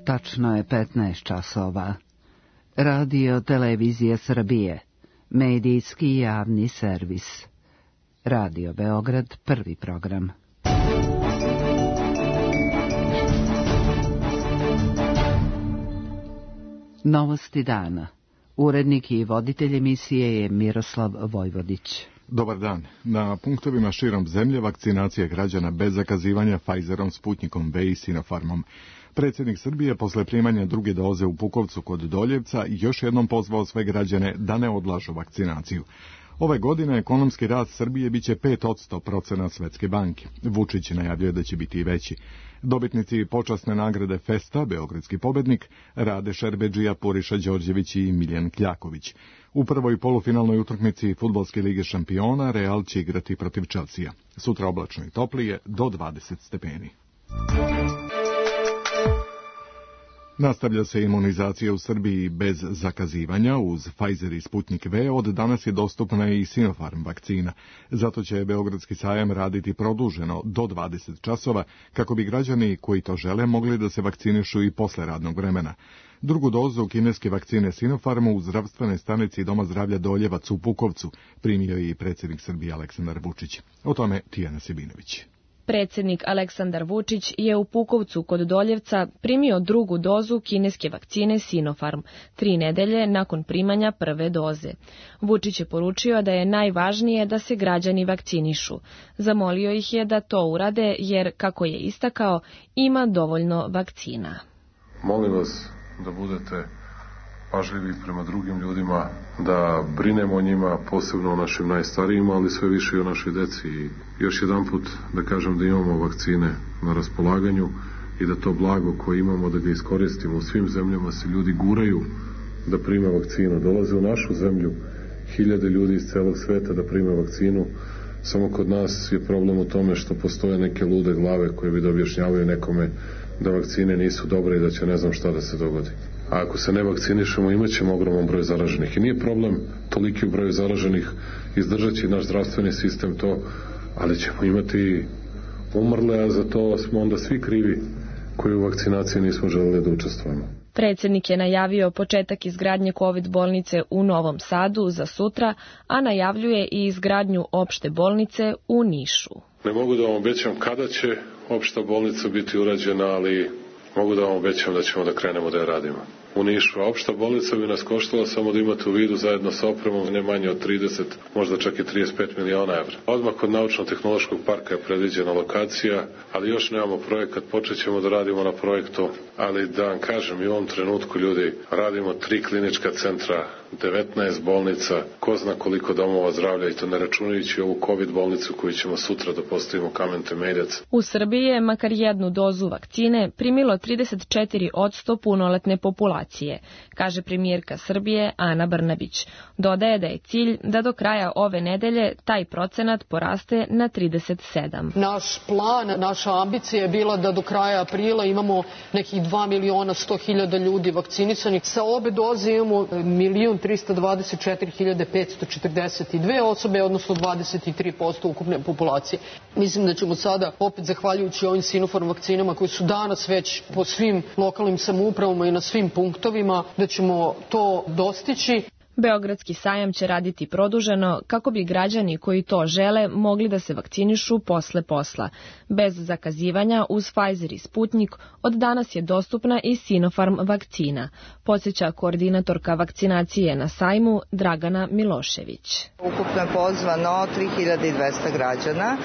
Tačno je 15 časova. Radio Televizija Srbije, medijski javni servis. Radio Beograd, prvi program. Novosti dana. Urednik i voditelj emisije je Miroslav Vojvodić. Dobar dan. Na punktovima širom zemlje vakcinacija građana bez zakazivanja Pfizerom, Sputnikom V i Sinopharmom. Predsjednik Srbije posle primanja druge doze u Pukovcu kod Doljevca još jednom pozvao sve građane da ne odlažu vakcinaciju. Ove godine ekonomski rast Srbije biće 5% procena Svetske banke. Vučić najavljuje da će biti i veći. Dobitnici počasne nagrade Festa, beogradski pobednik, Rade Šerbedžija, Puriša Đorđević i Miljan Kljaković. U prvoj polufinalnoj utakmici Fudbalske lige šampiona Real će igrati protiv Chelsea. Sutra oblačno i toplije do 20 stepeni. Nastavlja se imunizacija u Srbiji bez zakazivanja. Uz Pfizer i Sputnik V od danas je dostupna i Sinopharm vakcina. Zato će Beogradski sajam raditi produženo do 20 časova kako bi građani koji to žele mogli da se vakcinišu i posle radnog vremena. Drugu dozu kineske vakcine Sinopharmu u zdravstvene stanici Doma zdravlja Doljevac u Pukovcu primio je i predsjednik Srbije Aleksandar Vučić. O tome Tijana Sebinović. Predsjednik Aleksandar Vučić je u Pukovcu kod Doljevca primio drugu dozu kineske vakcine Sinopharm, 3 nedelje nakon primanja prve doze. Vučić je poručio da je najvažnije da se građani vakcinišu. Zamolio ih je da to urade jer, kako je istakao, ima dovoljno vakcina. Molim vas da budete pažljivi prema drugim ljudima, da brinemo o njima, posebno o našim najstarijima, ali sve više i o našoj deci. I još jedanput da kažem da imamo vakcine na raspolaganju i da to blago koje imamo da ga iskoristimo. U svim zemljama se ljudi guraju da prime vakcinu. Dolaze u našu zemlju hiljade ljudi iz celog sveta da prime vakcinu. Samo kod nas je problem u tome što postoje neke lude glave koje bi da objašnjavaju nekome da vakcine nisu dobre i da će ne znam šta da se dogodi. A ako se ne vakcinišemo, imat ćemo ogroman broj zaraženih. I nije problem toliki broj zaraženih, izdržat će naš zdravstveni sistem to, ali ćemo imati umrle, a za to smo onda svi krivi koji u vakcinaciji nismo želeli da učestvujemo. Predsjednik je najavio početak izgradnje COVID bolnice u Novom Sadu za sutra, a najavljuje i izgradnju opšte bolnice u Nišu. Ne mogu da vam obećam kada će opšta bolnica biti urađena, ali mogu da vam obećam da ćemo da krenemo da je radimo. U Nišu, a opšta bolnica bi nas koštala, samo da imate u vidu, zajedno sa opremom, ne manje od 30, možda čak i 35 miliona evra. Odmah kod Naučno-tehnološkog parka je predviđena lokacija, ali još nemamo projekat, počet ćemo da radimo na projektu, ali da vam kažem, i u ovom trenutku, ljudi, radimo 3 klinička centra, 19 bolnica, ko zna koliko domova zdravlja, i to ne računajući ovu COVID bolnicu koju ćemo sutra da postavimo kamen temeljac. U Srbiji je makar jednu dozu vakcine primilo 34% punoletne populacije, kaže premijerka Srbije Ana Brnabić. Dodaje da je cilj da do kraja ove nedelje taj procenat poraste na 37. Naš plan, naša ambicija je bila da do kraja aprila imamo nekih 2.100.000 ljudi vakcinisanih. Sa obe doze imamo 1.324.542 osobe, odnosno 23% ukupne populacije. Mislim da ćemo sada, opet zahvaljujući ovim Sinopharm vakcinama koji su danas već po svim lokalnim samoupravama i na svim punktovima, da ćemo to dostići. Beogradski sajam će raditi produženo kako bi građani koji to žele mogli da se vakcinišu posle posla. Bez zakazivanja uz Pfizer i Sputnik od danas je dostupna i Sinopharm vakcina, podsjeća koordinatorka vakcinacije na sajmu Dragana Milošević. Ukupno je pozvano 3200 građana,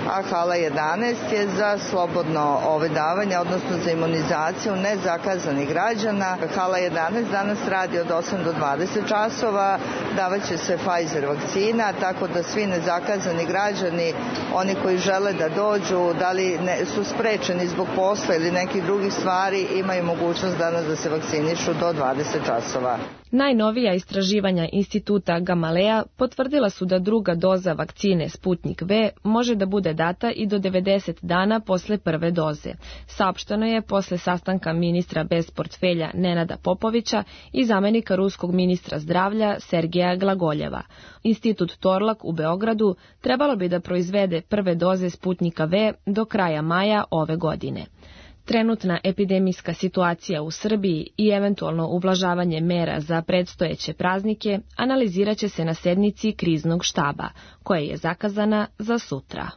a hala 11 je za slobodno davanje, odnosno za imunizaciju nezakazanih građana. Hala 11 danas radi od 8 do 20 časova. Davaće se Pfizer vakcina, tako da svi nezakazani građani, oni koji žele da dođu, da li su sprečeni zbog posla ili nekih drugih stvari, imaju mogućnost danas da se vakcinišu do 20 časova. Najnovija istraživanja instituta Gamaleja potvrdila su da druga doza vakcine Sputnik V može da bude data i do 90 dana posle prve doze. Saopšteno je posle sastanka ministra bez portfelja Nenada Popovića i zamenika ruskog ministra zdravlja Sergeja Glagoljeva. Institut Torlak u Beogradu trebalo bi da proizvede prve doze Sputnika V do kraja maja ove godine. Trenutna epidemijska situacija u Srbiji i eventualno ublažavanje mera za predstojeće praznike analizirat će se na sednici kriznog štaba, koja je zakazana za sutra.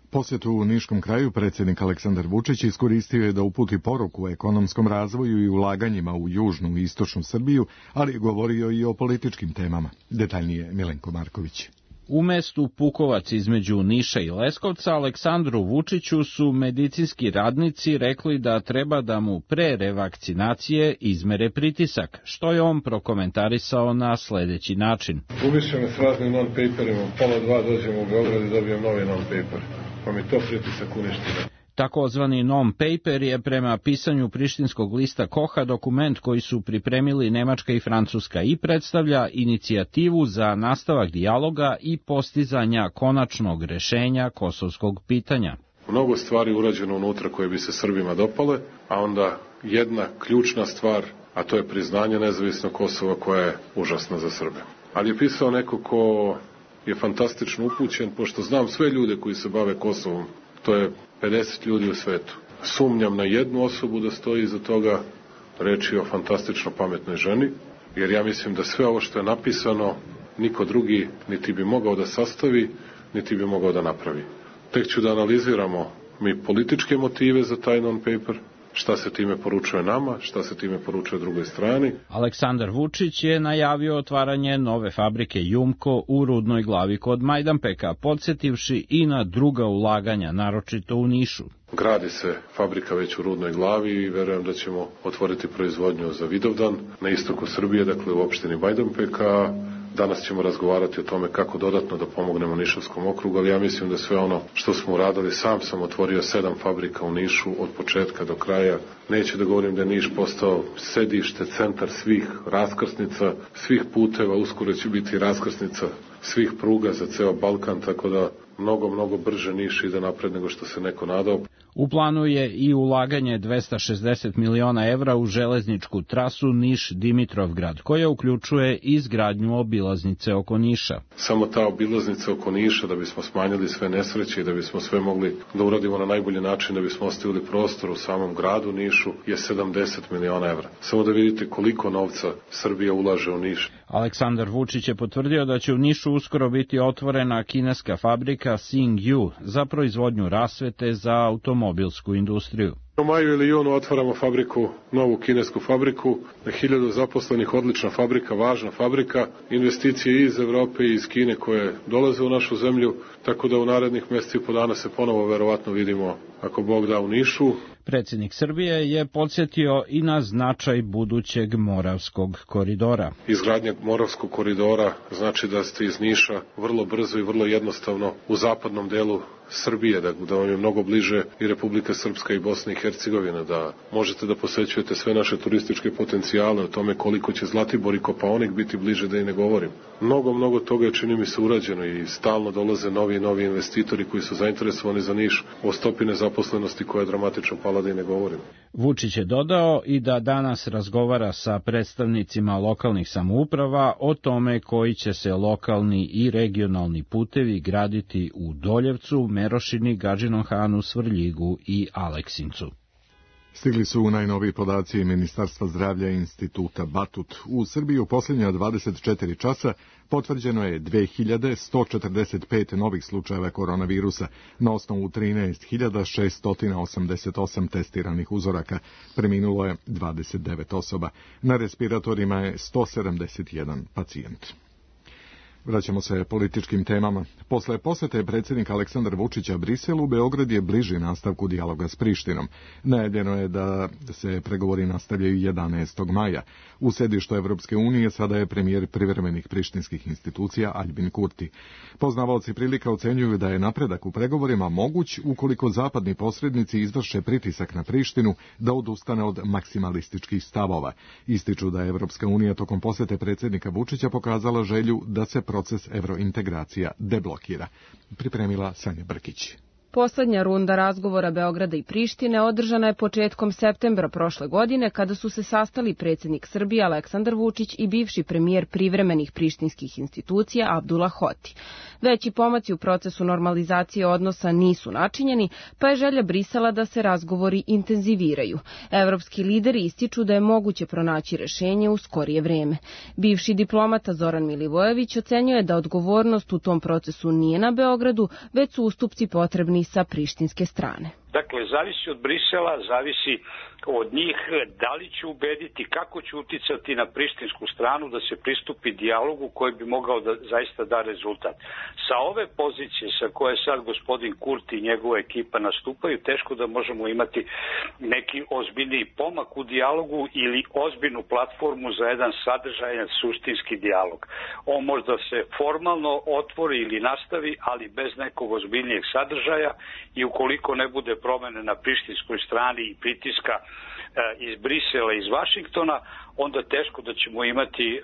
Posjetu u Niškom kraju predsjednik Aleksandar Vučić iskoristio je da uputi poruku o ekonomskom razvoju i ulaganjima u južnu i istočnu Srbiju, ali je govorio i o političkim temama. Detaljnije Milenko Marković. U mestu Pukovac između Niša i Leskovca Aleksandru Vučiću su medicinski radnici rekli da treba da mu pre revakcinacije izmere pritisak, što je on prokomentarisao na sledeći način. Uviše me s raznim non-paperima, 1:30 dođem u Beograd i dobijem novi non-paper, pa mi to pritisak uništilo. Takozvani non-paper je prema pisanju prištinskog lista Koha dokument koji su pripremili Nemačka i Francuska i predstavlja inicijativu za nastavak dijaloga i postizanja konačnog rešenja kosovskog pitanja. Mnogo stvari urađeno unutra koje bi se Srbima dopale, a onda jedna ključna stvar, a to je priznanje nezavisnog Kosova koja je užasna za Srbe. Ali je pisao neko ko je fantastično upućen, pošto znam sve ljude koji se bave Kosovom, to je 50 ljudi u svetu. Sumnjam na jednu osobu da stoji iza toga, reč je o fantastično pametnoj ženi, jer ja mislim da sve ovo što je napisano niko drugi niti bi mogao da sastavi, niti bi mogao da napravi. Tek ću da analiziramo mi političke motive za taj non-paper, šta se time poručuje nama, šta se time poručuje drugoj strani. Aleksandar Vučić je najavio otvaranje nove fabrike Jumko u Rudnoj Glavi kod Majdanpeka, podsjetivši i na druga ulaganja, naročito u Nišu. Gradi se fabrika već u Rudnoj Glavi i verujem da ćemo otvoriti proizvodnju za Vidovdan na istoku Srbije, dakle u opštini Majdanpeka. Danas ćemo razgovarati o tome kako dodatno da pomognemo Nišavskom okrugu, ali ja mislim da sve ono što smo uradili, sam otvorio 7 fabrika u Nišu od početka do kraja. Neću da govorim da je Niš postao sedište, centar svih raskrsnica, svih puteva, uskoro će biti raskrsnica svih pruga za ceo Balkan, tako da mnogo brže Niš ide napred nego što se neko nadao. U planu je i ulaganje 260 miliona evra u železničku trasu Niš-Dimitrovgrad, koja uključuje izgradnju obilaznice oko Niša. Samo ta obilaznica oko Niša, da bismo smanjili sve nesreće i da bismo sve mogli da uradimo na najbolji način, da bismo ostavili prostor u samom gradu Nišu, je 70 miliona evra. Samo da vidite koliko novca Srbija ulaže u Niš. Aleksandar Vučić je potvrdio da će u Nišu uskoro biti otvorena kineska fabrika Xingyu za proizvodnju rasvete za automobilsku industriju. U maju ili junu otvaramo fabriku, novu kinesku fabriku, 1000 zaposlenih, odlična fabrika, važna fabrika, investicije iz Evrope i iz Kine koje dolaze u našu zemlju, tako da u narednih mjeseci i po dana se ponovo verovatno vidimo, ako Bog da, u Nišu. Predsjednik Srbije je podsjetio i na značaj budućeg Moravskog koridora. Izgradnja Moravskog koridora znači da ste iz Niša vrlo brzo i vrlo jednostavno u zapadnom delu Srbije, da vam je mnogo bliže i Republika Srpska i Bosna i Hercegovina, da možete da posećujete sve naše turističke potencijale, o tome koliko će Zlatibor i Kopaonik biti bliže, da i ne govorim. Mnogo toga je, čini mi se, urađeno i stalno dolaze novi investitori koji su zainteresovani za Niš, o stopi nezaposlenosti koja je dramatično pala, da i ne govorim. Vučić je dodao i da danas razgovara sa predstavnicima lokalnih samouprava o tome koji će se lokalni i regionalni putevi graditi u Doljevcu, Merošini, Gadžinom Hanu, Svrljigu i Aleksincu. Stigli su najnoviji podaci Ministarstva zdravlja i Instituta Batut. U Srbiji u posljednja 24 časa potvrđeno je 2145 novih slučajeva koronavirusa na osnovu 13.688 testiranih uzoraka. Preminulo je 29 osoba. Na respiratorima je 171 pacijent. Vraćamo se političkim temama. Posle posete predsjednika Aleksandra Vučića Briselu, Beograd je bliži nastavku dijaloga s Prištinom. Najavljeno je da se pregovori nastavljaju 11. maja. U sedištu Evropske unije sada je premijer privremenih prištinskih institucija Aljbin Kurti. Poznavaoci prilika ocenjuju da je napredak u pregovorima moguć ukoliko zapadni posrednici izvrše pritisak na Prištinu da odustane od maksimalističkih stavova. Ističu da je Evropska unija tokom posete predsjednika Vučića pokazala želju da se proces evrointegracija deblokira. Pripremila Sanja Brkić. Poslednja runda razgovora Beograda i Prištine održana je početkom septembra prošle godine kada su se sastali predsjednik Srbije Aleksandar Vučić i bivši premijer privremenih prištinskih institucija Abdullah Hoti. Veći pomaci u procesu normalizacije odnosa nisu načinjeni, pa je želja Brisela da se razgovori intenziviraju. Evropski lideri ističu da je moguće pronaći rešenje u skorije vreme. Bivši diplomata Zoran Milivojević ocenjuje da odgovornost u tom procesu nije na Beogradu, već su ustupci potrebni sa prištinske strane. Dakle, zavisi od Brisela, zavisi od njih da li će ubediti, kako će uticati na prištinsku stranu da se pristupi dijalogu koji bi mogao da zaista da rezultat. Sa ove pozicije sa koje sad gospodin Kurti i njegova ekipa nastupaju, teško da možemo imati neki ozbiljniji pomak u dijalogu ili ozbiljnu platformu za jedan sadržajan suštinski dijalog. On možda se formalno otvori ili nastavi, ali bez nekog ozbiljnijeg sadržaja i ukoliko ne bude promene na prištinskoj strani i pritiska iz Brisela i iz Vašingtona, onda teško da ćemo imati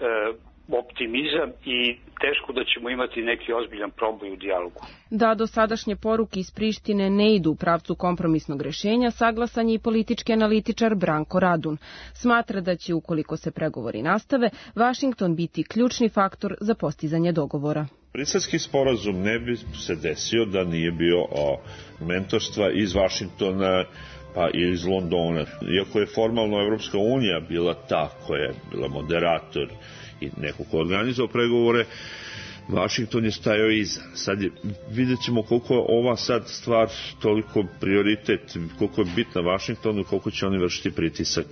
optimizam i teško da ćemo imati neki ozbiljan proboj u dijalogu. Da dosadašnje poruke iz Prištine ne idu u pravcu kompromisnog rešenja, saglasan je i politički analitičar Branko Radun. Smatra da će, ukoliko se pregovori nastave, Vašington biti ključni faktor za postizanje dogovora. Briselski sporazum ne bi se desio da nije bio mentorstva iz Vašingtona pa i iz Londona. Iako je formalno Evropska unija bila ta koja je bila moderator i neko ko organizovao pregovore, Vašington je stajao iza. Sad vidjet ćemo koliko je ova sad stvar toliko prioritet, koliko je bitna Vašingtonu, koliko će oni vršiti pritisak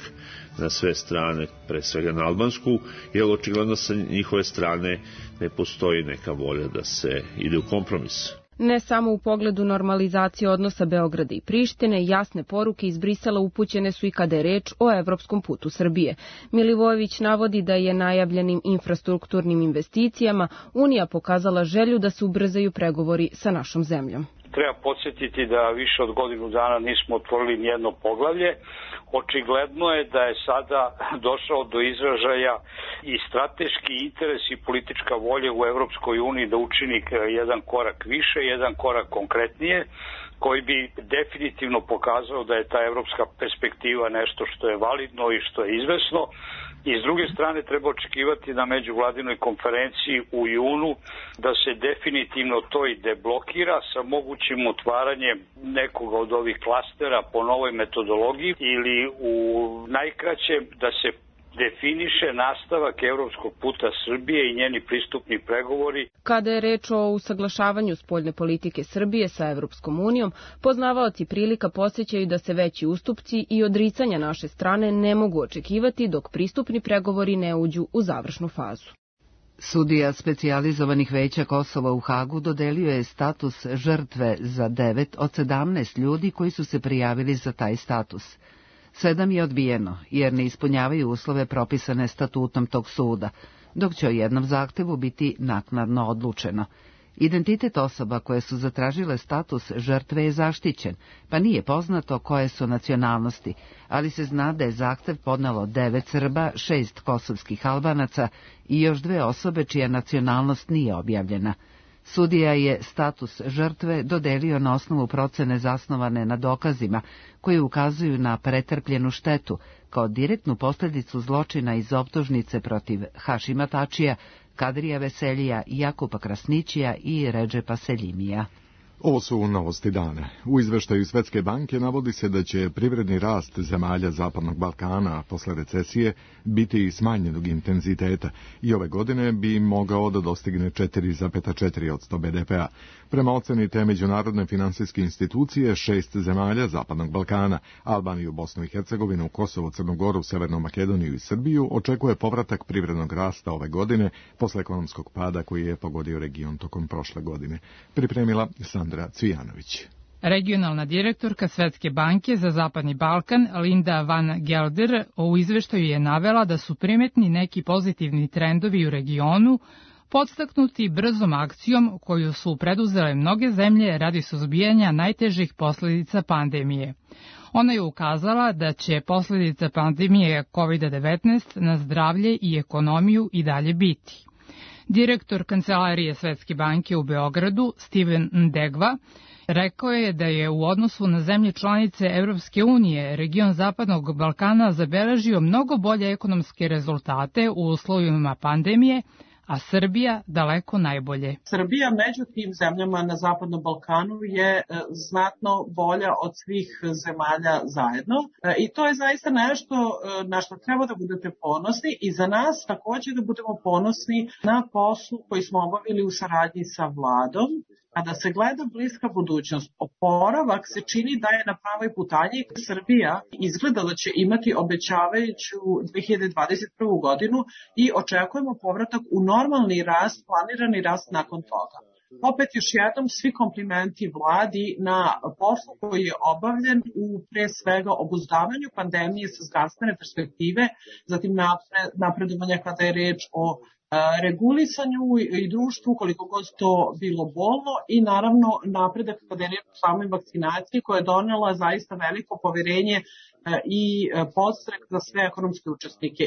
na sve strane, pre svega na albansku, jer očigledno sa njihove strane ne postoji neka volja da se ide u kompromis. Ne samo u pogledu normalizacije odnosa Beograda i Prištine, jasne poruke iz Brisela upućene su i kada je reč o evropskom putu Srbije. Milivojević navodi da je najavljenim infrastrukturnim investicijama Unija pokazala želju da se ubrzaju pregovori sa našom zemljom. Treba podsjetiti da više od godinu dana nismo otvorili nijedno poglavlje. Očigledno je da je sada došao do izražaja i strateški interes i politička volja u Evropskoj uniji da učini jedan korak više, jedan korak konkretnije, koji bi definitivno pokazao da je ta evropska perspektiva nešto što je validno i što je izvesno. I s druge strane treba očekivati na međuvladinoj konferenciji u junu da se definitivno to i deblokira sa mogućim otvaranjem nekoga od ovih klastera po novoj metodologiji ili u najkraćem da se definiše nastavak evropskog puta Srbije i njeni pristupni pregovori. Kada je reč o usaglašavanju spoljne politike Srbije sa Evropskom unijom, poznavaoci prilika podsjećaju da se veći ustupci i odricanja naše strane ne mogu očekivati dok pristupni pregovori ne uđu u završnu fazu. Sudija specijalizovanih veća Kosova u Hagu dodelio je status žrtve za 9 od 17 ljudi koji su se prijavili za taj status. 7 je odbijeno, jer ne ispunjavaju uslove propisane statutom tog suda, dok će o jednom zahtevu biti naknadno odlučeno. Identitet osoba koje su zatražile status žrtve je zaštićen, pa nije poznato koje su nacionalnosti, ali se zna da je zahtev podnelo 9 Srba, 6 kosovskih Albanaca i još 2 osobe čija nacionalnost nije objavljena. Sudija je status žrtve dodelio na osnovu procene zasnovane na dokazima koji ukazuju na pretrpljenu štetu kao direktnu posljedicu zločina iz optužnice protiv Hašima Tačija, Kadrija Veselija, Jakupa Krasnićija i Redžepa Seljimija. Ovo su novosti dana. U izveštaju Svetske banke navodi se da će privredni rast zemalja Zapadnog Balkana posle recesije biti smanjenog intenziteta i ove godine bi mogao da dostigne 4,4% BDP-a. Prema oceni te međunarodne finansijske institucije, 6 zemalja Zapadnog Balkana, Albaniju, Bosnu i Hercegovinu, Kosovo, Crnu Goru, Severnu Makedoniju i Srbiju, očekuje povratak privrednog rasta ove godine posle ekonomskog pada koji je pogodio region tokom prošle godine. Pripremila Sandra Cvijanović. Regionalna direktorka Svetske banke za Zapadni Balkan, Linda Van Gelder, u izveštaju je navela da su primetni neki pozitivni trendovi u regionu, podstaknuti brzom akcijom koju su preduzele mnoge zemlje radi suzbijanja najtežih posljedica pandemije. Ona je ukazala da će posljedica pandemije COVID-19 na zdravlje i ekonomiju i dalje biti. Direktor Kancelarije Svetske banke u Beogradu, Steven Ndegva, Rekao je da je u odnosu na zemlje članice Evropske unije region Zapadnog Balkana zabeležio mnogo bolje ekonomske rezultate u uslovima pandemije, a Srbija daleko najbolje. Srbija među tim zemljama na Zapadnom Balkanu je znatno bolja od svih zemalja zajedno i to je zaista nešto na što treba da budete ponosni i za nas također da budemo ponosni na poslu koji smo obavili u saradnji sa vladom. Kada se gleda bliska budućnost, oporavak se čini da je na pravoj putanji. Srbija izgleda da će imati obećavajuću 2021. godinu i očekujemo povratak u normalni rast, planirani rast nakon toga. Opet još jednom svi komplimenti vladi na poslu koji je obavljen u pre svega obuzdavanju pandemije sa zdravstvene perspektive, zatim napredovanja kada je reč o regulisanju i društvu koliko god to bilo bolno i naravno napredak kada je reč o samoj vakcinaciji koja je donela zaista veliko poverenje i podstrek za sve ekonomske učesnike.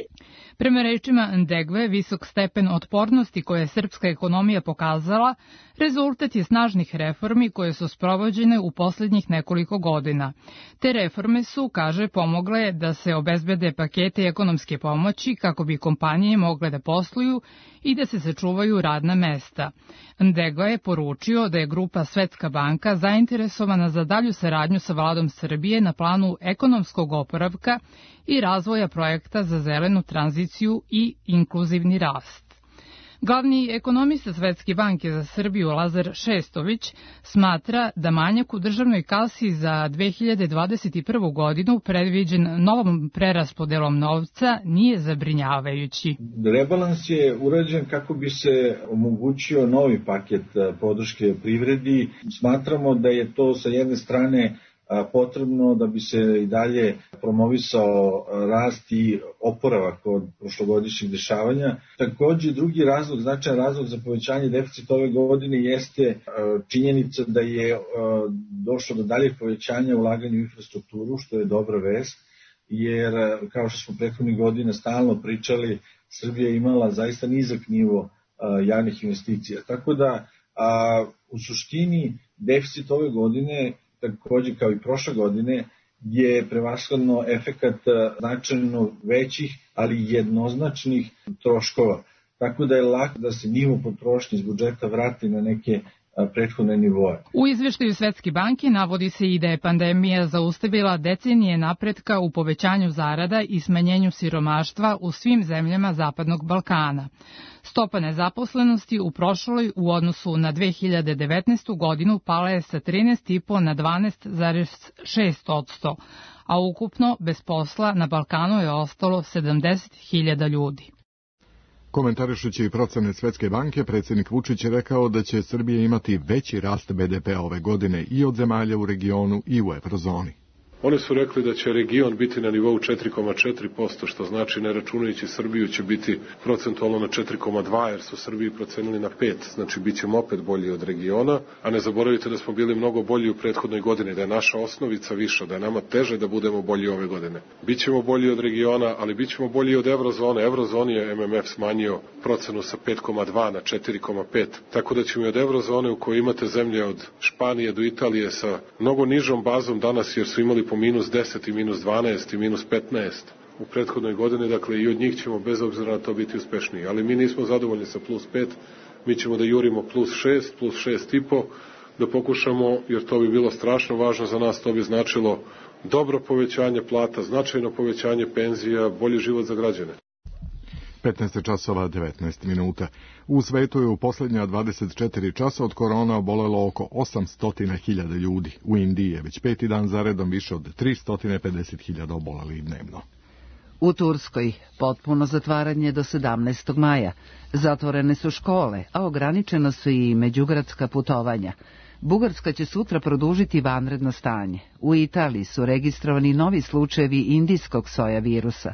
Prema rečima Ndegve, visok stepen otpornosti koje je srpska ekonomija pokazala, rezultat je snažnih reformi koje su sprovođene u poslednjih nekoliko godina. Te reforme su, kaže, pomogle da se obezbede pakete ekonomske pomoći kako bi kompanije mogle da posluju i da se sačuvaju radna mesta. Ndegva je poručio da je grupa Svetska banka zainteresovana za dalju saradnju sa vladom Srbije na planu ekonomskog oporavka i razvoja projekta za zelenu tranziciju i inkluzivni rast. Glavni ekonomista Svetske banke za Srbiju Lazar Šestović smatra da manjak u državnoj kasi za 2021. godinu predviđen novom preraspodelom novca nije zabrinjavajući. Rebalans je urađen kako bi se omogućio novi paket podrške privredi. Smatramo da je to sa jedne strane potrebno da bi se i dalje promovisao rast i oporavak od prošlogodišnjih dešavanja. Takođe, drugi razlog, značajan razlog za povećanje deficita ove godine jeste činjenica da je došlo do daljeg povećanja ulaganja u infrastrukturu, što je dobra vest, jer kao što smo prethodnih godina stalno pričali, Srbija je imala zaista nizak nivo javnih investicija. Tako da u suštini deficit ove godine takođe kao i prošle godine, je prevashodno efekat značajno većih, ali jednoznačnih troškova. Tako da je lako da se nivo potrošnje iz budžeta vrati na neke prethodne nivoe. U izveštaju Svetske banke navodi se i da je pandemija zaustavila decenije napretka u povećanju zarada i smanjenju siromaštva u svim zemljama Zapadnog Balkana. Stopa nezaposlenosti u prošloj u odnosu na 2019. godinu pala je sa 13,5 na 12,6%, a ukupno bez posla na Balkanu je ostalo 70.000 ljudi. Komentarišući procene Svetske banke, predsjednik Vučić je rekao da će Srbija imati veći rast BDP-a ove godine i od zemalja u regionu i u eurozoni. Oni su rekli da će region biti na nivou 4,4%, što znači ne računajući Srbiju će biti procentualno na 4,2%, jer su Srbiji procenili na 5%, znači bit ćemo opet bolji od regiona, a ne zaboravite da smo bili mnogo bolji u prethodnoj godini, da je naša osnovica viša, da je nama teže da budemo bolji ove godine. Bićemo bolji od regiona, ali bićemo bolji od eurozone. Eurozoni je MMF smanjio procenu sa 5,2 na 4,5, tako da ćemo i od eurozone u kojoj imate zemlje od Španije do Italije sa mnogo nižom bazom danas, jer su imali po minus 10 i minus 12 i minus 15 u prethodnoj godini, dakle i od njih ćemo bez obzira na to biti uspešniji. Ali mi nismo zadovoljni sa plus 5, mi ćemo da jurimo plus 6, plus 6,5, da pokušamo, jer to bi bilo strašno važno za nas, to bi značilo dobro povećanje plata, značajno povećanje penzija, bolji život za građane. 15 časova 19 minuta. U svetu je u posljednja 24 časa od korona obolelo oko 800.000 ljudi. U Indiji je već 5. dan zaredom više od 350.000 obolelih dnevno. U Turskoj potpuno zatvaranje do 17. maja. Zatvorene su škole, a ograničeno su i međugradska putovanja. Bugarska će sutra produžiti vanredno stanje. U Italiji su registrovani novi slučajevi indijskog soja virusa.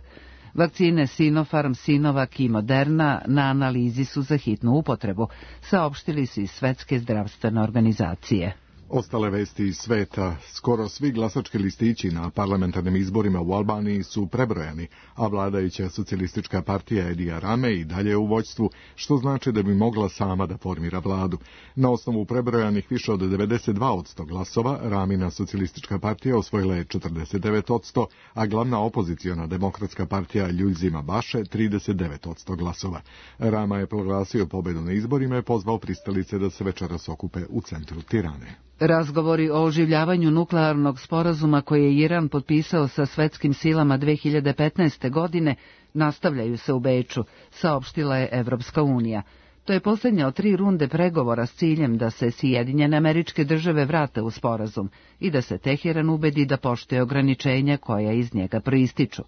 Vakcine Sinopharm, Sinovac i Moderna na analizi su za hitnu upotrebu, saopštili su i Svetske zdravstvene organizacije. Ostale vesti iz sveta, skoro svi glasački listići na parlamentarnim izborima u Albaniji su prebrojani, a vladajuća socijalistička partija Edija Rame i dalje u vođstvu, što znači da bi mogla sama da formira vladu. Na osnovu prebrojanih više od 92% glasova, Ramina socijalistička partija osvojila je 49%, a glavna opoziciona demokratska partija Ljuljzima Baše 39% glasova. Rama je proglasio pobedu na izborima i pozvao pristalice da se večeras okupe u centru Tirane. Razgovori o oživljavanju nuklearnog sporazuma koje je Iran potpisao sa svetskim silama 2015. godine nastavljaju se u Beču, saopštila je Evropska unija. To je posljednja od 3 runde pregovora s ciljem da se Sjedinjene Američke Države vrate u sporazum i da se Teheran ubedi da poštuje ograničenja koja iz njega proističu.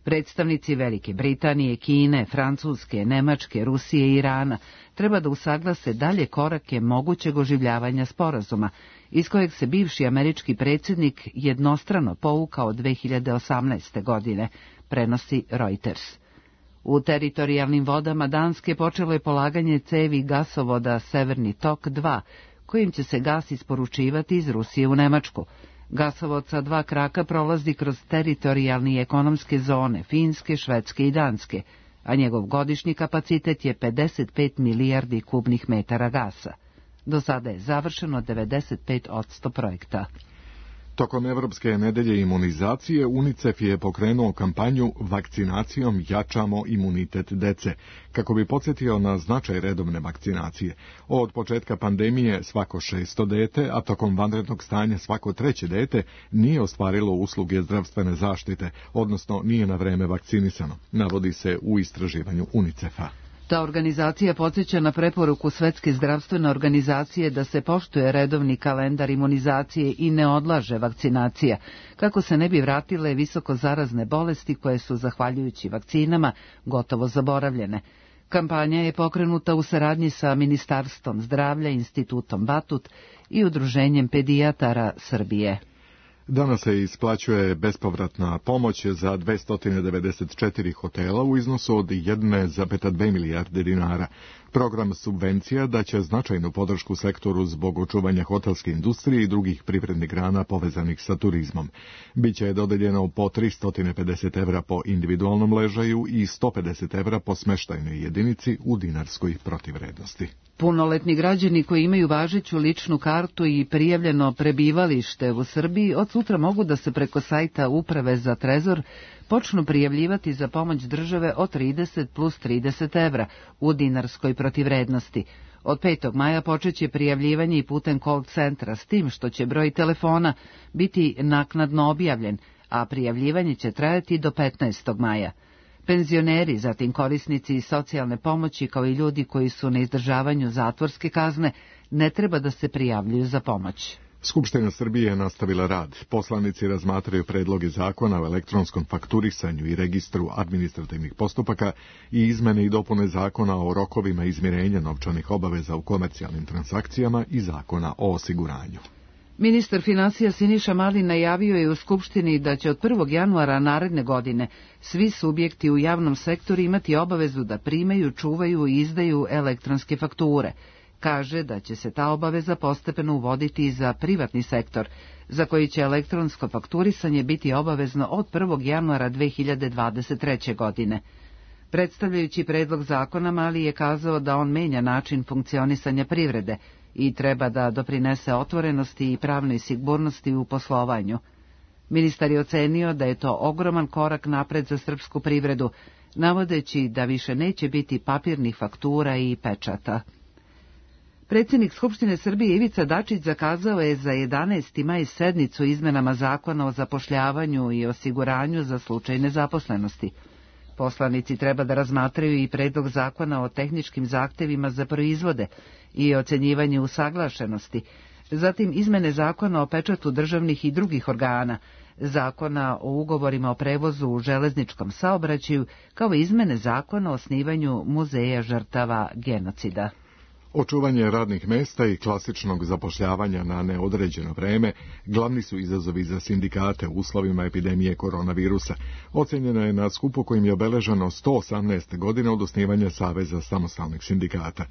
Predstavnici Velike Britanije, Kine, Francuske, Nemačke, Rusije i Irana treba da usaglase dalje korake mogućeg oživljavanja sporazuma, iz kojeg se bivši američki predsjednik jednostrano povukao 2018. godine, prenosi Reuters. U teritorijalnim vodama Danske počelo je polaganje cevi gasovoda Severni tok 2, kojim će se gas isporučivati iz Rusije u Nemačku. Gasovod sa 2 kraka prolazi kroz teritorijalne i ekonomske zone Finske, Švedske i Danske, a njegov godišnji kapacitet je 55 milijardi kubnih metara gasa. Do sada je završeno 95% projekta. Tokom Evropske nedelje imunizacije UNICEF je pokrenuo kampanju Vakcinacijom jačamo imunitet dece, kako bi podsjetio na značaj redovne vakcinacije. Od početka pandemije svako 6. dete, a tokom vanrednog stanja svako 3. dete nije ostvarilo usluge zdravstvene zaštite, odnosno nije na vreme vakcinisano, navodi se u istraživanju UNICEF-a. Ta organizacija podsjeća na preporuku Svetske zdravstvene organizacije da se poštuje redovni kalendar imunizacije i ne odlaže vakcinacija, kako se ne bi vratile visoko zarazne bolesti koje su, zahvaljujući vakcinama, gotovo zaboravljene. Kampanja je pokrenuta u saradnji sa Ministarstvom zdravlja, Institutom Batut i Udruženjem pedijatara Srbije. Danas se isplaćuje bespovratna pomoć za 294 hotela u iznosu od 1,2 milijarde dinara. Program subvencija daće značajnu podršku sektoru zbog očuvanja hotelske industrije i drugih privrednih grana povezanih sa turizmom. Biće dodeljeno po 350 evra po individualnom ležaju i 150 evra po smeštajnoj jedinici u dinarskoj protivvrednosti. Punoletni građani koji imaju važeću ličnu kartu i prijavljeno prebivalište u Srbiji od sutra mogu da se preko sajta Uprave za trezor počnu prijavljivati za pomoć države od 30 plus 30 evra u dinarskoj protivvrednosti. Od 5. maja počeće prijavljivanje i putem call centra, s tim što će broj telefona biti naknadno objavljen, a prijavljivanje će trajati do 15. maja. Penzioneri, zatim korisnici socijalne pomoći kao i ljudi koji su na izdržavanju zatvorske kazne ne treba da se prijavljuju za pomoć. Skupština Srbije je nastavila rad. Poslanici razmatraju predloge zakona o elektronskom fakturisanju i registru administrativnih postupaka i izmene i dopune zakona o rokovima izmirenja novčanih obaveza u komercijalnim transakcijama i zakona o osiguranju. Ministar finansija Siniša Mali najavio je u Skupštini da će od 1. januara naredne godine svi subjekti u javnom sektoru imati obavezu da primaju, čuvaju i izdaju elektronske fakture. Kaže da će se ta obaveza postepeno uvoditi i za privatni sektor, za koji će elektronsko fakturisanje biti obavezno od 1. januara 2023. godine. Predstavljajući predlog zakona, Mali je kazao da on menja način funkcionisanja privrede i treba da doprinese otvorenosti i pravnoj sigurnosti u poslovanju. Ministar je ocenio da je to ogroman korak napred za srpsku privredu, navodeći da više neće biti papirnih faktura i pečata. Predsjednik Skupštine Srbije Ivica Dačić zakazao je za 11. maj sednicu izmenama zakona o zapošljavanju i osiguranju za slučaj nezaposlenosti. Poslanici treba da razmatraju i predlog zakona o tehničkim zahtevima za proizvode i ocenjivanje usaglašenosti, zatim izmene zakona o pečatu državnih i drugih organa, zakona o ugovorima o prevozu u železničkom saobraćaju, kao i izmene zakona o osnivanju muzeja žrtava genocida. Očuvanje radnih mesta i klasičnog zapošljavanja na neodređeno vreme glavni su izazovi za sindikate u uslovima epidemije koronavirusa. Ocenjeno je na skupu kojim je obeleženo 118 godina od osnivanja Saveza samostalnih sindikata.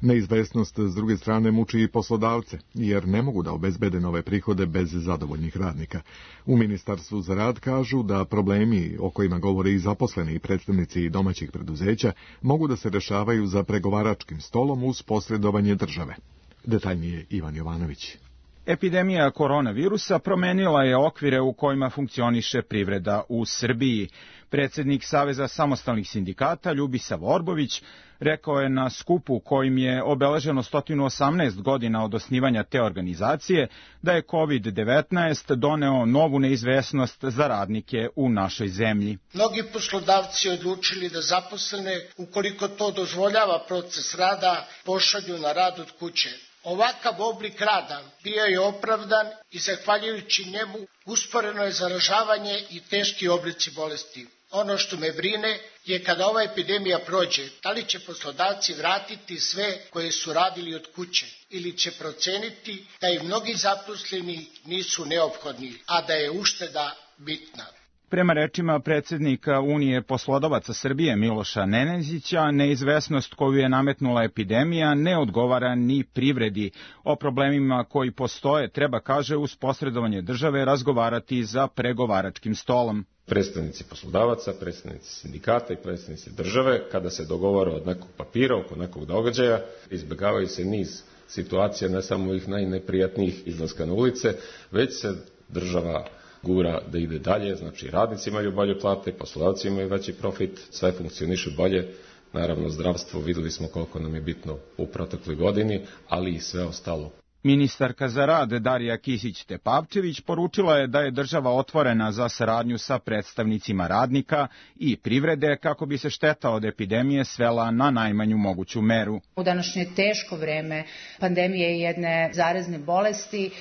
Neizvesnost s druge strane muči i poslodavce, jer ne mogu da obezbede nove prihode bez zadovoljnih radnika. U Ministarstvu za rad kažu da problemi o kojima govore i zaposleni i predstavnici domaćih preduzeća mogu da se rešavaju za pregovaračkim stolom uz posredovanje države. Detaljnije Ivan Jovanović. Epidemija koronavirusa promenila je okvire u kojima funkcioniše privreda u Srbiji. Predsjednik Saveza samostalnih sindikata Ljubisav Orbović rekao je na skupu kojim je obeleženo 118 godina od osnivanja te organizacije da je COVID-19 doneo novu neizvesnost za radnike u našoj zemlji. Mnogi poslodavci odlučili da zaposlene, ukoliko to dozvoljava proces rada, pošalju na rad od kuće. Ovakav oblik rada bio je opravdan i zahvaljujući njemu usporeno je zaražavanje i teški oblici bolesti. Ono što me brine je kada ova epidemija prođe, da li će poslodavci vratiti sve koje su radili od kuće ili će proceniti da i mnogi zaposleni nisu neophodni, a da je ušteda bitna. Prema rečima predsjednika Unije poslodavaca Srbije Miloša Nenezića, neizvesnost koju je nametnula epidemija ne odgovara ni privredi. O problemima koji postoje treba, kaže, uz posredovanje države razgovarati za pregovaračkim stolom. Predstavnici poslodavaca, predstavnici sindikata i predstavnici države, kada se dogovore od nekog papira, oko nekog događaja, izbjegavaju se niz situacija, ne samo ovih najneprijatnijih izlaska na ulice, već se država gura da ide dalje, znači radnici imaju bolje plate, poslodavci imaju veći profit, sve funkcioniše bolje. Naravno, zdravstvo videli smo koliko nam je bitno u protekloj godini, ali i sve ostalo. Ministarka za rad Darija Kisić-Tepavčević poručila je da je država otvorena za saradnju sa predstavnicima radnika i privrede kako bi se šteta od epidemije svela na najmanju moguću meru. U današnje teško vreme pandemije i jedne zarazne bolesti,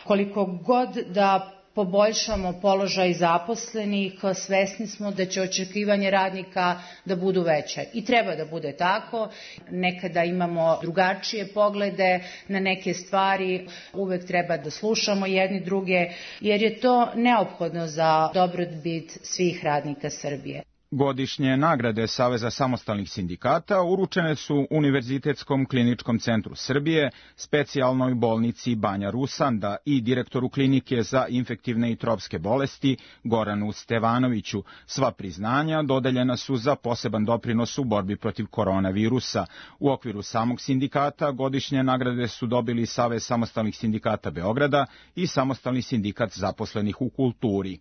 koliko god da poboljšamo položaj zaposlenih, svesni smo da će očekivanje radnika da budu veće. I treba da bude tako. Nekada imamo drugačije poglede na neke stvari. Uvek treba da slušamo jedni druge, jer je to neophodno za dobrobit svih radnika Srbije. Godišnje nagrade Saveza samostalnih sindikata uručene su Univerzitetskom kliničkom centru Srbije, specijalnoj bolnici Banja Rusanda i direktoru klinike za infektivne i tropske bolesti Goranu Stevanoviću. Sva priznanja dodeljena su za poseban doprinos u borbi protiv koronavirusa. U okviru samog sindikata godišnje nagrade su dobili Savez samostalnih sindikata Beograda i Samostalni sindikat zaposlenih u kulturi.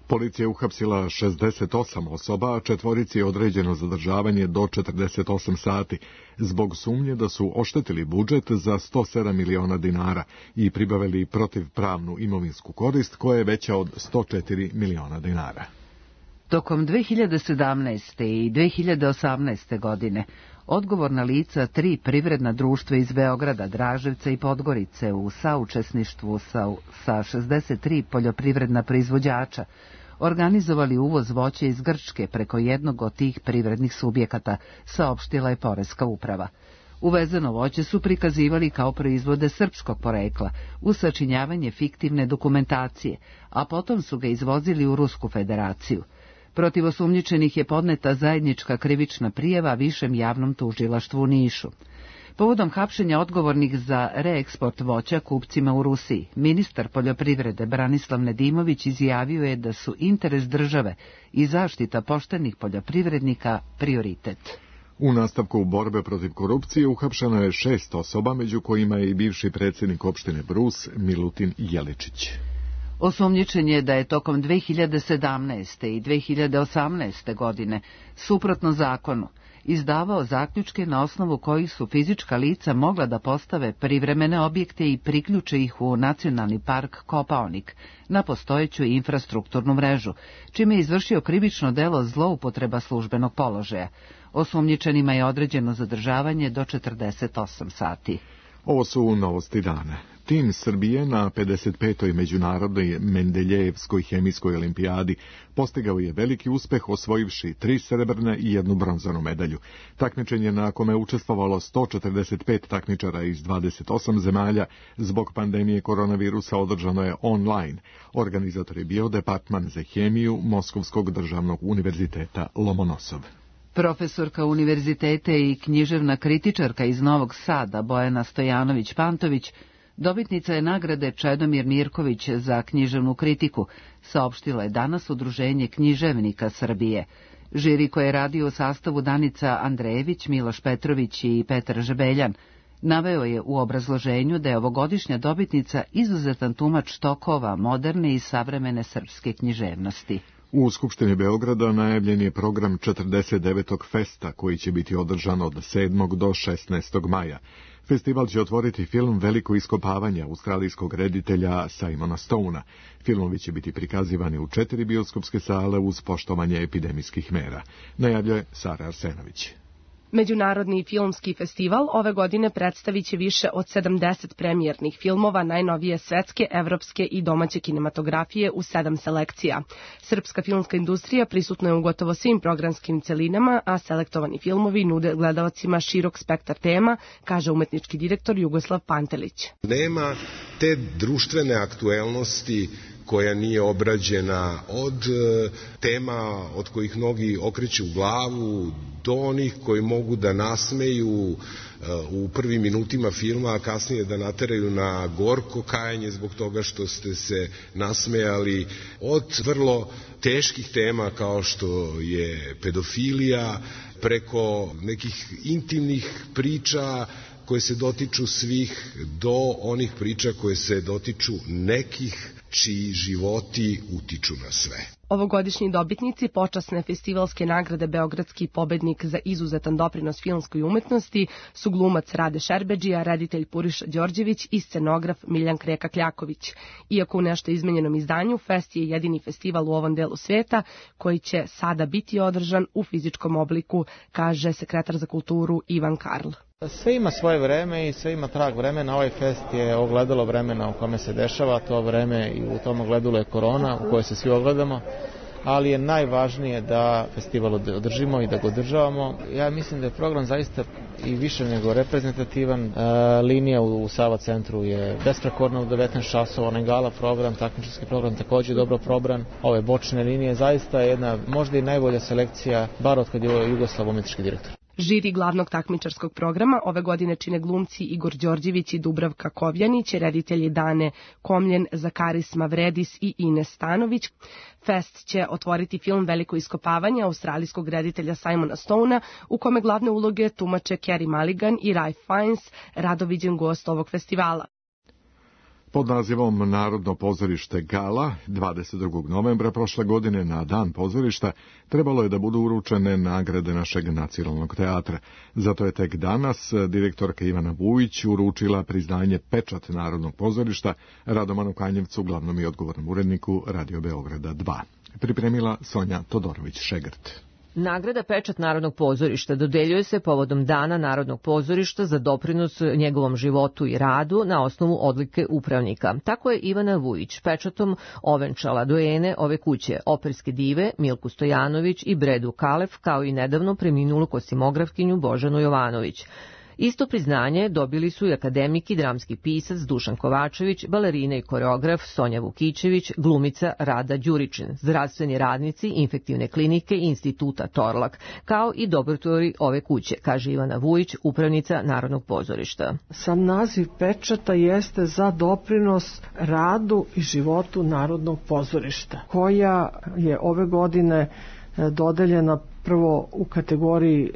Policija je uhapsila 68 osoba, a 4 je određeno zadržavanje do 48 sati, zbog sumnje da su oštetili budžet za 107 miliona dinara i pribavili protivpravnu imovinsku korist koja je veća od 104 miliona dinara. Tokom 2017. i 2018. godine odgovorna lica 3 privredna društva iz Beograda, Draževca i Podgorice u saučesništvu sa 63 poljoprivredna proizvođača organizovali uvoz voća iz Grčke preko jednog od tih privrednih subjekata, saopštila je Poreska uprava. Uvezeno voće su prikazivali kao proizvode srpskog porekla uz sačinjavanje fiktivne dokumentacije, a potom su ga izvozili u Rusku federaciju. Protiv osumnjičenih je podneta zajednička krivična prijava Višem javnom tužilaštvu u Nišu. Povodom hapšenja odgovornih za reeksport voća kupcima u Rusiji, ministar poljoprivrede Branislav Nedimović izjavio je da su interes države i zaštita poštenih poljoprivrednika prioritet. U nastavku borbe protiv korupcije uhapšeno je 6 osoba, među kojima je i bivši predsjednik opštine Brus Milutin Jeličić. Osumnjičen je da je tokom 2017. i 2018. godine, suprotno zakonu, izdavao zaključke na osnovu kojih su fizička lica mogla da postave privremene objekte i priključe ih u Nacionalni park Kopaonik na postojeću infrastrukturnu mrežu, čime je izvršio krivično delo zloupotreba službenog položaja. Osumnjičenima je određeno zadržavanje do 48 sati. Ovo su novosti dana. Tim Srbije na 55. međunarodnoj Mendeljejevskoj hemijskoj olimpijadi postigao je veliki uspeh osvojivši 3 srebrne i 1 bronzanu medalju. Takmičenje na kome je učestvovalo 145 takmičara iz 28 zemalja zbog pandemije koronavirusa održano je online. Organizator je bio Departman za hemiju Moskovskog državnog univerziteta Lomonosov. Profesorka univerziteta i književna kritičarka iz Novog Sada Bojana Stojanović-Pantović dobitnica je nagrade Čedomir Mirković za književnu kritiku, saopštilo je danas Udruženje književnika Srbije. Žiri koje je radio u sastavu Danica Andrejević, Miloš Petrović i Petar Žebeljan naveo je u obrazloženju da je ovogodišnja dobitnica izuzetan tumač tokova moderne i savremene srpske književnosti. U Skupštini Beograda najavljen je program 49. festa koji će biti održan od 7. do 16. maja. Festival će otvoriti film Veliko iskopavanje australijskog reditelja Simona Stonea. Filmovi će biti prikazivani u 4 bioskopske sale uz poštovanje epidemijskih mera, najavljuje Sara Arsenović. Međunarodni filmski festival ove godine predstavit će više od 70 premijernih filmova najnovije svetske, evropske i domaće kinematografije u 7 selekcija. Srpska filmska industrija prisutna je u gotovo svim programskim celinama, a selektovani filmovi nude gledalcima širok spektar tema, kaže umetnički direktor Jugoslav Pantelić. Nema te društvene aktuelnosti koja nije obrađena, od tema od kojih mnogi okreću glavu do onih koji mogu da nasmeju u prvim minutima filma, a kasnije da nateraju na gorko kajanje zbog toga što ste se nasmejali, od vrlo teških tema kao što je pedofilija, preko nekih intimnih priča koje se dotiču svih, do onih priča koje se dotiču nekih čiji životi utiču na sve. Ovogodišnji dobitnici počasne festivalske nagrade Beogradski pobednik za izuzetan doprinos filmskoj umetnosti su glumac Rade Šerbedžija, reditelj Puriša Đorđević i scenograf Miljan Kreka-Kljaković. Iako u nešto izmenjenom izdanju, fest je jedini festival u ovom delu sveta koji će sada biti održan u fizičkom obliku, kaže sekretar za kulturu Ivan Karl. Sve ima svoje vreme i sve ima trag vremena. Ovaj fest je ogledalo vremena u kome se dešava, to vreme i u tom ogledalu je korona u kojoj se svi ogledamo, ali je najvažnije da festival održimo i da ga održavamo. Ja mislim da je program zaista i više nego reprezentativan. Linija u Sava centru je besprekorna u 19 časova, onaj gala program, takmičarski program također dobro probran. Ove bočne linije zaista je jedna možda i najbolja selekcija, bar od kad je Jugoslav umetnički direktor. Žiri glavnog takmičarskog programa ove godine čine glumci Igor Đorđević i Dubravka Kovjanić, reditelji Dane Komljen, Zakaris Mavredis i Ines Stanović. Fest će otvoriti film Veliko iskopavanje australijskog reditelja Simona Stonea, u kome glavne uloge tumače Carey Mulligan i Ralph Fiennes, rado viđen gost ovog festivala. Pod nazivom Narodno pozorište Gala, 22. novembra prošle godine na Dan pozorišta trebalo je da budu uručene nagrade našeg nacionalnog teatra. Zato je tek danas direktorka Ivana Vujić uručila priznanje Pečat Narodnog pozorišta Radomanu Kanjevcu, glavnom i odgovornom uredniku Radio Beograda 2. Pripremila Sonja Todorović-Šegrt. Nagrada Pečat Narodnog pozorišta dodeljuje se povodom Dana Narodnog pozorišta za doprinos njegovom životu i radu na osnovu odlike upravnika. Tako je Ivana Vujić pečatom ovenčala dojene ove kuće, operske dive Milku Stojanović i Bredu Kalef, kao i nedavno preminulu kosimografkinju Božanu Jovanović. Isto priznanje dobili su i akademik i dramski pisac Dušan Kovačević, balerina i koreograf Sonja Vukićević, glumica Rada Đuričin, zdravstveni radnici Infektivne klinike i Instituta Torlak, kao i dobrotvori ove kuće, kaže Ivana Vujić, upravnica Narodnog pozorišta. Sam naziv pečata jeste za doprinos radu i životu Narodnog pozorišta, koja je ove godine dodeljena prvo u kategoriji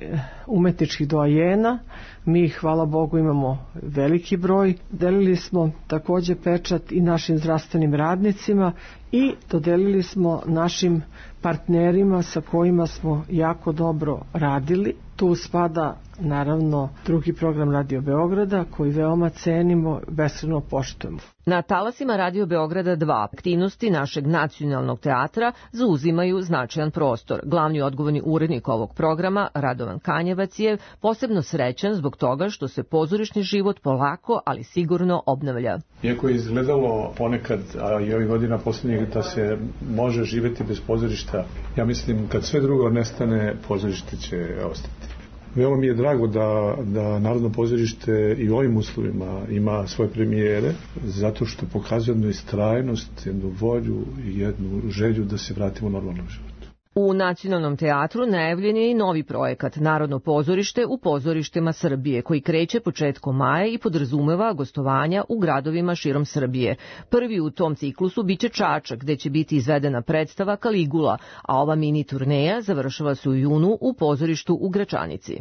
umetničkih doajena. Mi, hvala Bogu, imamo veliki broj. Delili smo također pečat i našim zdravstvenim radnicima i dodelili smo našim partnerima sa kojima smo jako dobro radili. Tu spada naravno drugi program Radio Beograda koji veoma cenimo, beskrajno poštujemo. Na talasima Radio Beograda 2 aktivnosti našeg nacionalnog teatra zauzimaju značajan prostor. Glavni odgovorni urednik ovog programa, Radovan Kanjevac, je posebno srećan zbog toga što se pozorišni život polako, ali sigurno obnavlja. Iako je izgledalo ponekad, a i ovih godina posljednjih, da se može živjeti bez pozorišta, ja mislim kad sve drugo nestane, pozorište će ostati. Veoma mi je drago da Narodno pozorište i u ovim uslovima ima svoje premijere, zato što pokazuje jednu istrajnost, jednu volju i jednu želju da se vratimo u normalnom životu. U Nacionalnom teatru najavljen je i novi projekat Narodno pozorište u pozorištima Srbije, koji kreće početkom maja i podrazumeva gostovanja u gradovima širom Srbije. Prvi u tom ciklusu biće Čačak, gde će biti izvedena predstava Kaligula, a ova mini turneja završava se u junu u pozorištu u Gračanici.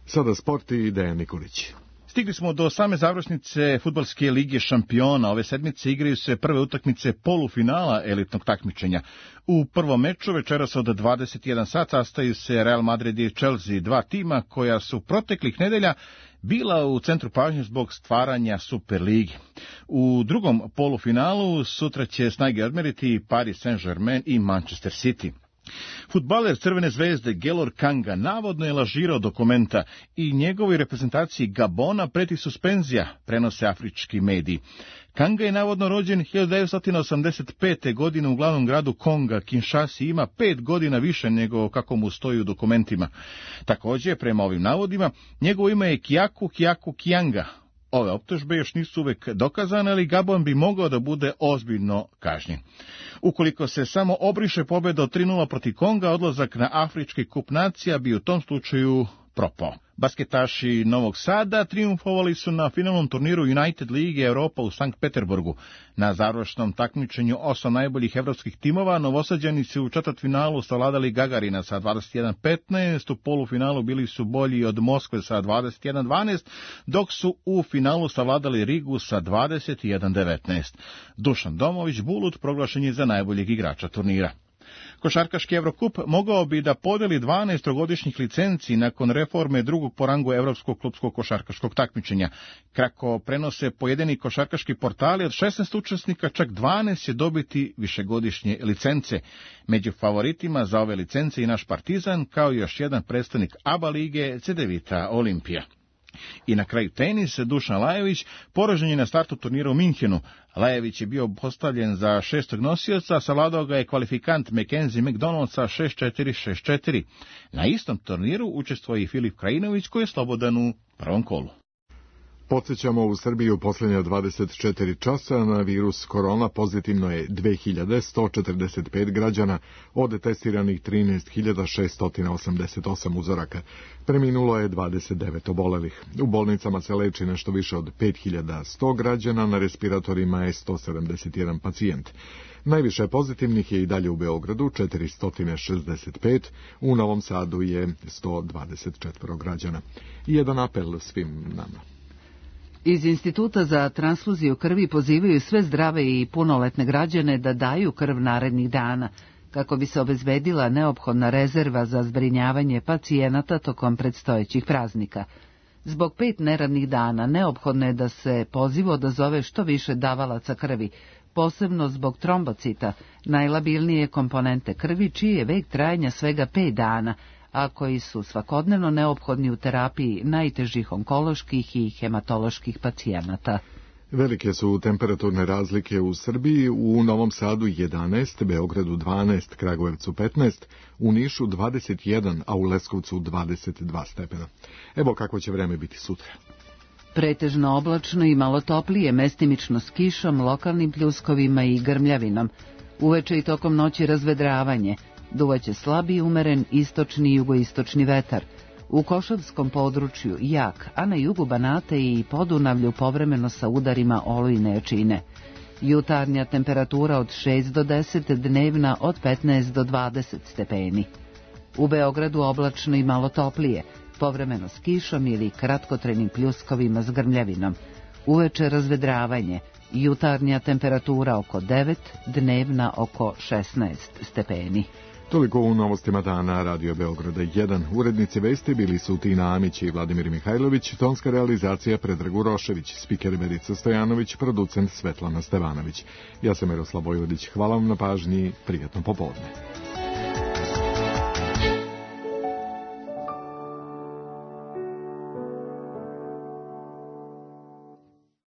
Sada sport i Dejan Nikolić. Stigli smo do same završnice Fudbalske lige šampiona. Ove sedmice igraju se prve utakmice polufinala elitnog takmičenja. U prvom meču večeras od 21 sat sastaju se Real Madrid i Chelsea, dva tima koja su proteklih nedelja bila u centru pažnje zbog stvaranja Superligi. U drugom polufinalu sutra će snage odmeriti Paris Saint-Germain i Manchester City. Fudbaler Crvene zvezde Gelor Kanga navodno je lažirao dokumenta i njegovoj reprezentaciji Gabona preti suspenzija, prenose afrički mediji. Kanga je navodno rođen 1985. godine u glavnom gradu Konga, Kinshasi, ima 5 godina više nego kako mu stoji u dokumentima. Također, prema ovim navodima, njegovo ime je Kjaku Kijanga. Ove optužbe još nisu uvek dokazane, ali Gabon bi mogao da bude ozbiljno kažnjen. Ukoliko se samo obriše pobjeda od 3:0 protiv Konga, odlazak na Afrički kup nacija bi u tom slučaju propao. Basketaši Novog Sada triumfovali su na finalnom turniru United Lige Europa u Sankt Peterburgu. Na završnom takmičenju 8 najboljih evropskih timova Novosađani su u četvrtfinalu savladali Gagarina sa 21:15, u polufinalu bili su bolji od Moskve sa 21:12, dok su u finalu savladali Rigu sa 21:19. Dušan Domović Bulut proglašen je za najboljeg igrača turnira. Košarkaški Evrokup mogao bi da podeli 12 trogodišnjih licenci nakon reforme drugog po rangu evropskog klubskog košarkaškog takmičenja. Kako prenose pojedini košarkaški portali, od 16 učesnika čak 12 će dobiti višegodišnje licence. Među favoritima za ove licence i naš Partizan, kao i još jedan predstavnik ABA lige Cedevita Olimpija. I na kraju tenis, Dušan Lajović poražen je na startu turnira u Minhenu. Lajović je bio postavljen za 6. nosioca, savladao ga je kvalifikant Mackenzie McDonald sa 6-4, 6-4. Na istom turniru učestvuje i Filip Krajinović koji je slobodan u prvom kolu. Podsjećamo, u Srbiji u posljednje 24 časa na virus korona pozitivno je 2145 građana, od testiranih 13.688 uzoraka. Preminulo je 29 obolelih. U bolnicama se leči nešto više od 5100 građana, na respiratorima je 171 pacijent. Najviše pozitivnih je i dalje u Beogradu, 465, u Novom Sadu je 124 građana. Jedan apel svim nama. Iz Instituta za transfuziju krvi pozivaju sve zdrave i punoletne građane da daju krv narednih dana, kako bi se obezbedila neophodna rezerva za zbrinjavanje pacijenata tokom predstojećih praznika. Zbog 5 neradnih dana neophodno je da se pozivu odazove što više davalaca krvi, posebno zbog trombocita, najlabilnije komponente krvi, čiji je vek trajanja svega 5 dana, a koji su svakodnevno neophodni u terapiji najtežih onkoloških i hematoloških pacijenata. Velike su temperaturne razlike u Srbiji, u Novom Sadu 11, Beogradu 12, Kragujevcu 15, u Nišu 21, a u Leskovcu 22 stepena. Evo kako će vreme biti sutra. Pretežno oblačno i malo toplije, mestimično s kišom, lokalnim pljuskovima i grmljavinom. Uveče i tokom noći razvedravanje. Duvaće slabi umeren istočni i jugoistočni vetar. U Košavskom području jak, a na jugu Banata i Podunavlju povremeno sa udarima olujne jačine. Jutarnja temperatura od 6 do 10, dnevna od 15 do 20 stepeni. U Beogradu oblačno i malo toplije, povremeno s kišom ili kratkotrenim pljuskovima s grmljavinom. Uveče razvedravanje, jutarnja temperatura oko 9, dnevna oko 16 stepeni. Toliko u novostima dana Radio Beograda 1. Urednici vesti bili su Tina Amić i Vladimir Mihajlović, tonska realizacija Predrag Urošević, spiker Verica Stojanović, producent Svetlana Stevanović. Ja sam Miroslav Vojvodić, hvala vam na pažnji, prijatno popodne.